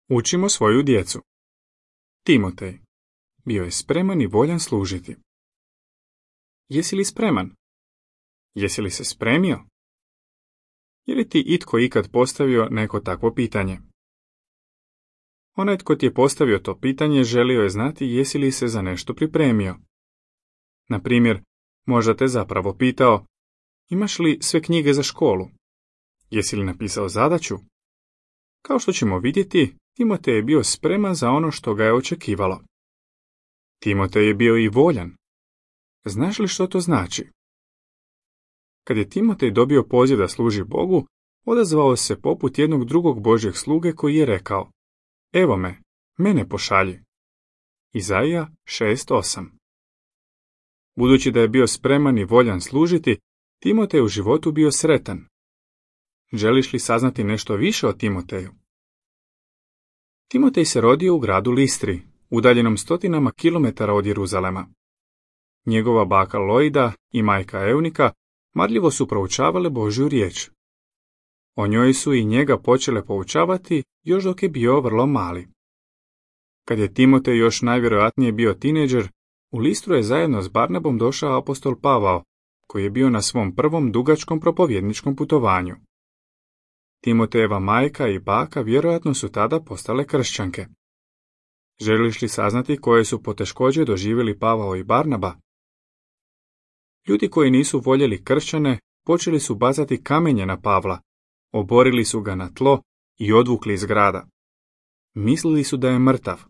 Učimo svoju djecu. Timotej bio je spreman i voljan služiti. Jesi li spreman? Jesi li se spremio? Je li ti itko ikad postavio neko takvo pitanje? Onaj tko ti je postavio to pitanje želio je znati jesi li se za nešto pripremio. Na primjer, možda te zapravo pitao, imaš li sve knjige za školu? Jesi li napisao zadaću? Kao što ćemo vidjeti, Timotej je bio spreman za ono što ga je očekivalo. Timotej je bio i voljan. Znaš li što to znači? Kad je Timotej dobio poziv da služi Bogu, odazvao se poput jednog drugog Božjeg sluge koji je rekao, evo me, mene pošalji. Izaija 6:8. Budući da je bio spreman i voljan služiti, Timotej u životu bio sretan. Želiš li saznati nešto više o Timoteju? Timotej se rodio u gradu Listri, udaljenom stotinama kilometara od Jeruzalema. Njegova baka Loida i majka Eunika marljivo su proučavale Božju riječ. O njoj su i njega počele poučavati još dok je bio vrlo mali. Kad je Timotej još najvjerojatnije bio tinejdžer, u Listru je zajedno s Barnabom došao apostol Pavao, koji je bio na svom prvom dugačkom propovjedničkom putovanju. Timotejeva majka i baka vjerojatno su tada postale kršćanke. Želiš li saznati koje su poteškoće doživjeli Pavao i Barnaba? Ljudi koji nisu voljeli kršćane počeli su bacati kamenje na Pavla, oborili su ga na tlo i odvukli iz grada. Mislili su da je mrtav.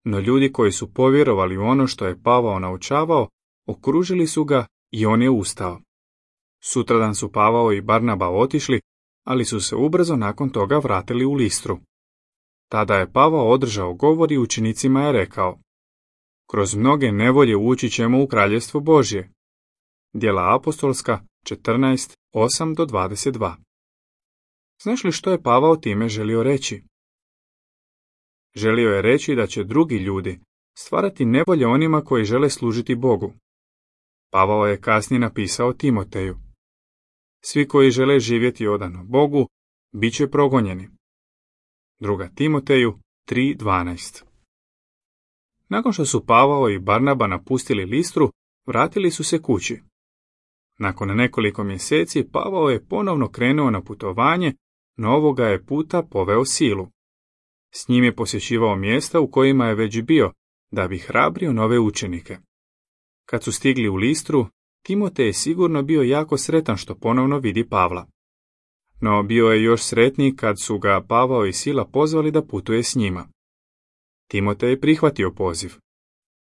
No ljudi koji su povjerovali u ono što je Pavao naučavao, okružili su ga i on je ustao. Sutradan su Pavao i Barnaba otišli, ali su se ubrzo nakon toga vratili u Listru. Tada je Pavao održao govor i učenicima je rekao, kroz mnoge nevolje ući ćemo u kraljevstvo Božje. Djela apostolska 14:8-22. Znaš li što je Pavao time želio reći? Želio je reći da će drugi ljudi stvarati nevolje onima koji žele služiti Bogu. Pavao je kasnije napisao Timoteju, svi koji žele živjeti odano Bogu, bit će progonjeni. 2. Timoteju 3:12. Nakon što su Pavao i Barnaba napustili Listru, vratili su se kući. Nakon nekoliko mjeseci Pavao je ponovno krenuo na putovanje, no ovoga je puta poveo Silu. S njim je posjećivao mjesta u kojima je već bio, da bi hrabrio nove učenike. Kad su stigli u Listru, Timotej je sigurno bio jako sretan što ponovno vidi Pavla. No bio je još sretniji kad su ga Pavao i Sila pozvali da putuje s njima. Timotej je prihvatio poziv.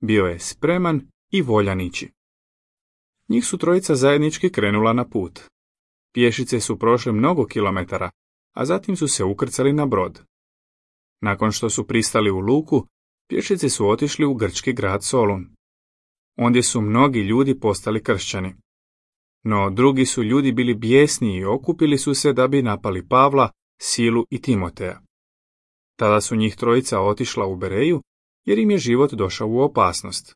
Bio je spreman i voljan ići. Njih su trojica zajednički krenula na put. Pješice su prošle mnogo kilometara, a zatim su se ukrcali na brod. Nakon što su pristali u luku, pješice su otišli u grčki grad Solun. Ondje su mnogi ljudi postali kršćani. No drugi su ljudi bili bijesni i okupili su se da bi napali Pavla, Silu i Timoteja. Tada su njih trojica otišla u Bereju, jer im je život došao u opasnost.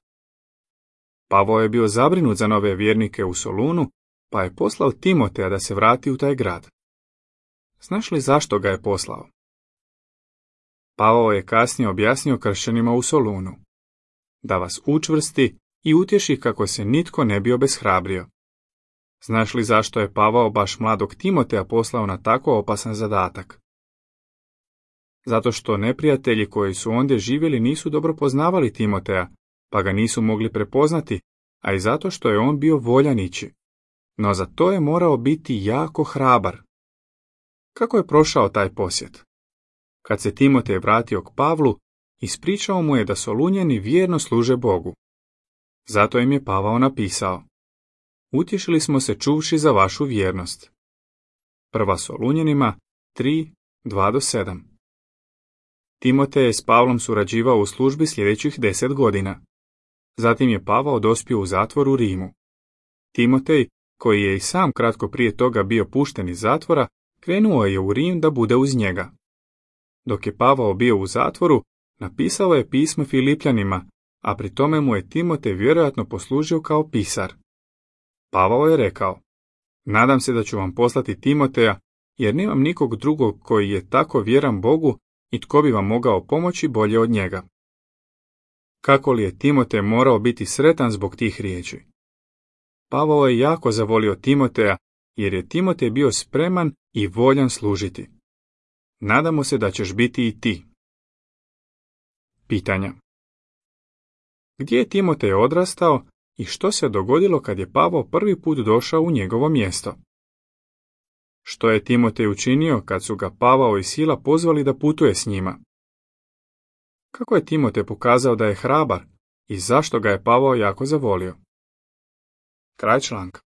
Pavao je bio zabrinut za nove vjernike u Solunu, pa je poslao Timoteja da se vrati u taj grad. Znaš li zašto ga je poslao? Pavao je kasnije objasnio kršćanima u Solunu. Da vas učvrsti i utješi kako se nitko ne bi obeshrabrio. Znaš li zašto je Pavao baš mladog Timoteja poslao na tako opasan zadatak? Zato što neprijatelji koji su ondje živjeli nisu dobro poznavali Timoteja, pa ga nisu mogli prepoznati, a i zato što je on bio voljan ići. No za to je morao biti jako hrabar. Kako je prošao taj posjet? Kad se Timotej vratio k Pavlu, ispričao mu je da Solunjani vjerno služe Bogu. Zato im je Pavao napisao, utješili smo se čuvši za vašu vjernost. 1. Solunjanima 3:2-7. Timotej je s Pavlom surađivao u službi sljedećih 10 godina. Zatim je Pavao dospio u zatvor u Rimu. Timotej, koji je i sam kratko prije toga bio pušten iz zatvora, krenuo je u Rim da bude uz njega. Dok je Pavao bio u zatvoru, napisao je pismo Filipljanima, a pri tome mu je Timotej vjerojatno poslužio kao pisar. Pavao je rekao, nadam se da ću vam poslati Timoteja, jer nemam nikog drugog koji je tako vjeran Bogu i tko bi vam mogao pomoći bolje od njega. Kako li je Timotej morao biti sretan zbog tih riječi? Pavao je jako zavolio Timoteja, jer je Timotej bio spreman i voljan služiti. Nadamo se da ćeš biti i ti. Pitanja. Gdje je Timotej odrastao i što se dogodilo kad je Pavao prvi put došao u njegovo mjesto? Što je Timotej učinio kad su ga Pavao i Sila pozvali da putuje s njima? Kako je Timotej pokazao da je hrabar i zašto ga je Pavao jako zavolio? Kraj članka.